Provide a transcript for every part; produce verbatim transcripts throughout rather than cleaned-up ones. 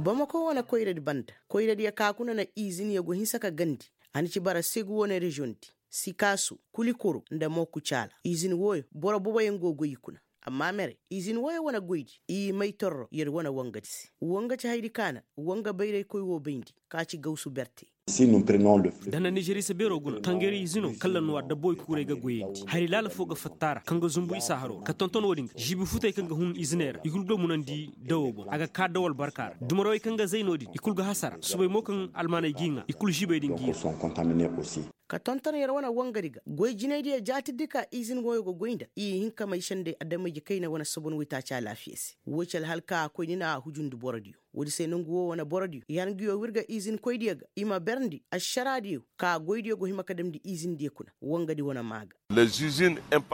Bamako wane koyradi banda, koyradiyo ka kuna na izinyo go hinsa ka gandi. A na ci bara segu wane reziyoŋ di, sikaasu, kulikoro nda mooku caala. Izin wooyo boro boboyaŋ go goy i kuna. Amma mere, izin wooyo wane goydi i may torro yer wane wangadi se. Wanga ci hayadi ka na wanga bayraykoy woo bayndi, ka ci gawsu berte. Da na nizeriisa beeroo guna tangari izino kalla nuwa dabboy kuuray ga goyandi hari laala foo ga fatta a ra kaŋ ga zumbu isa haroo ra ka tonton woodin ga žiibi futey kaŋ ga hun iziney ra i kul ga munandi dawoo boŋ a ga kaa daw albarka ra dumarawey kaŋ ga zay no-din i kul ga hasara subay mo kaŋ almaaney g'i ŋaa i kul žiibey din g'i ŋaa. Ka tonton yer wane wangadi ga goy jinaydiyo jaatirdi ka izin wooyo ga goy nda i hin ka may sendey adamayje kayna wane sobon waytaaci alaafiya se. Woo ci alhal ka a koy ni na a hujundi borodiyo. Woodi se nongu woo wane borodiyo i har nguyo w'ir ga izinkoydiyo ga i ma berndi ašaraadiyo ka goydiyo go hima ka damndi izindiyo kuna. Wangadi wane maa ga.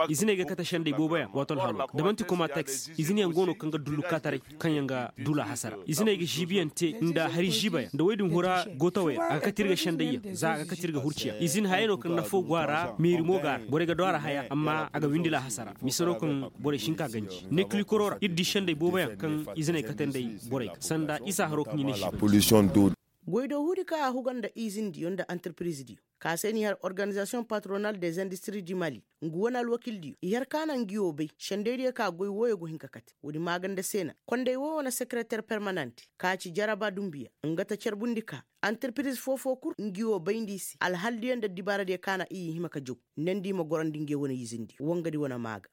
Iziney ga kate sendey booboyaŋ waato alhaloo ga da man'ti komateks izinyaŋ go no kaŋ ga dullu kaataray kaŋyaŋ ga dula hasara iziney ga žiibiyaŋ te nda hari žiibayaŋ nda woy din hura gootawey ra a ga kate ir ga sendayyaŋ za a ga kate ir ga hurciyaŋ izin hayey no kaŋ nafoo go a ra meeri mo go a ra borey ga du a ra haya amma a ga windila hasara mise no kaŋ borey si hin ka ganji. Nekilikoro ra ir di sendey booboyaŋ kaŋ iziney kate nd'ey borey ga sanda isa haroo kaŋ i ne žiibayaŋ. Goydoohuudi ka a huga nda izindiyo nda antirpirizidiyo ka se n'i har organizasiyoŋ patronal des industri di mali. Ngu wane alwakildiyo i har ka na ngi woo bay sendaydiyo ka goy wooyo go hin ka kate woodi maaganda se na konday woo wane sekereter permanent ka ci jaraba dumbiya nga ta carbundi ka antirpiriz foo-foo kul ngi woo bayndi i se alhaldiyo nda addibaaradiyo ka na i hima ka jaw. Nandi i ma gorandi nge wane izindiyo wangadi wane maa ga.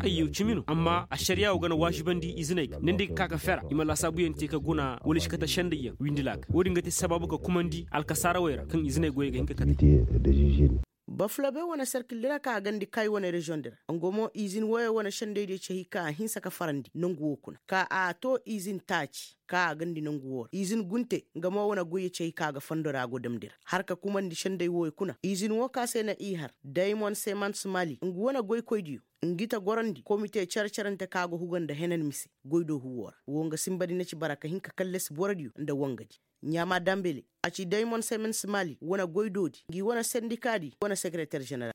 Ayyo cimi no amma ašariyaa woo ga na waazibandi iziney ga nandi ga ka ga fera i ma laasaabuyaŋ te ka guna wala i si kate sendayyaŋ windila ga woodin ga te sabaabu ka kumandi alkasaarawey ra kaŋ iziney goyey ga hin ka kate. Bafulabe wane serkildi ra ka a gandi kay wane reziyoŋdi ra nga mo izin wooyo wane sendaydiyo ci hay ka a hinsa ka farandi nongu woo kuna ka a too izin taaci ka a gandi nongu woo ra izin gunte nga mo wane goyyo ci hay ka a ga fondo ra a go damndi ra har ka kumandi senday wooyo kuna izin woo ka se na i har daymon semans mali nga wane goykoydiyo. Ngi ta gorandi komite care-carante ka go huga nda henan mise goydoohu woo ra woo nga sinbadi na ci bara ka hin ka kallasi borodiyo nda wangadi. Ɲaama dambele a ci daymon semans mali wane goydoodi ngi wane sendikaadi wane sekereter ženeral.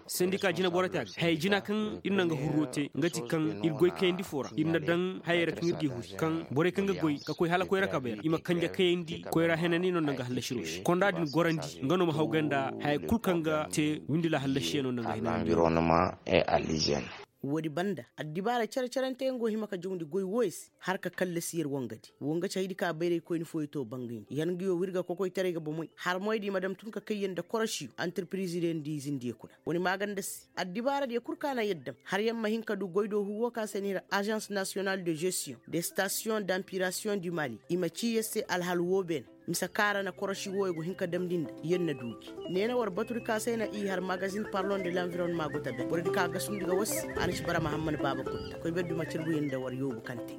Sendika jineboro te a ga haya jina kaŋ ir na nga hurro te nga ti kaŋ ir goy kayandi foo ra ir na daŋ hayey ra kaŋ ir g'i huri kaŋ borey kaŋ ga goy ka koy hala koyra kabey ra i ma kanje kayandi koyra henani no nda nga hallasiroo se konda din gorandi nga no ma hawgay nda haya kul kaŋ ga te windila hallasiyaŋ no nda nga henani. Woodi banda addibaara care-caranteyaŋ go hima ka jawndi goy wooyo se har ka kallasi yer wangadi woo nga ci haydi ka bayraykoyni fooyo to bangayndi yer nguyo w'ir ga kokoytaray ga bomoy har moydi ma dam tun ka kay yer nda korosiyo antirpirizidiyo nda izindiyo kuna. Wane maaganda se addibaaradiyo kul ka na yer dam har yer ma hin ka du goydoohu woo ka se n'i har azans nasiyonal de žestiyoŋ de stasiyoŋ dampirasiyoŋ di mali i ma cii yer se alhal woo beene. Mise kaŋ a ra na korosi wooyo go hin ka damndi nda yer na du gi. Ne na war batudi ka se na i har magazin parlon de lanvironma go ta ben borodi ka gasundi ga war se. A na ci bara mahamman baaba kul ta koy ber duma carbuyaŋ nda war yoobu kaŋ te.